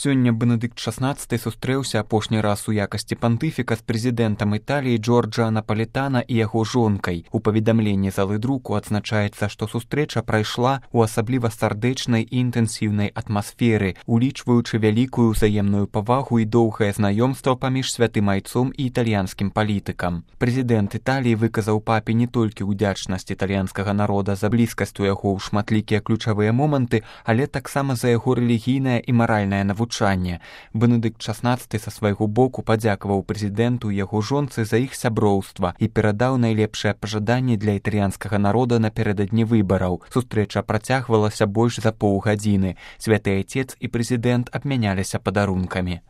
Сёння Бенедыкт XVI сустрэўся апошні раз у якасці пантыфіка з прэзідэнтам Італіі Джорджа Напалітана і яго жонкай. У паведамленні залы друку адзначаецца, што сустрэча прайшла ў асабліва сардэчнай і інтэнсіўнай атмасферы, улічваючы вялікую ўзаемную павагу і доўгае знаёмства паміж святым айцом і італьянскім палітыкам. Прэзідэнт Італіі выказаў папе не толькі ўдзячнасць італьянскага народа за блізкасць у яго ў шматлікія ключавыя моманты, але таксама за яго рэлігійнае і маральнае навучанне. Бенедыкт XVI са свайго боку падзякаваў прэзідэнту і яго жонцы за іх сяброўства і перадаў найлепшыя пажаданні для італьянскага народа напярэдадні выбараў. Сустрэча працягвалася больш за паўгадзіны. Святы айцец і прэзідэнт абмяняліся падарункамі.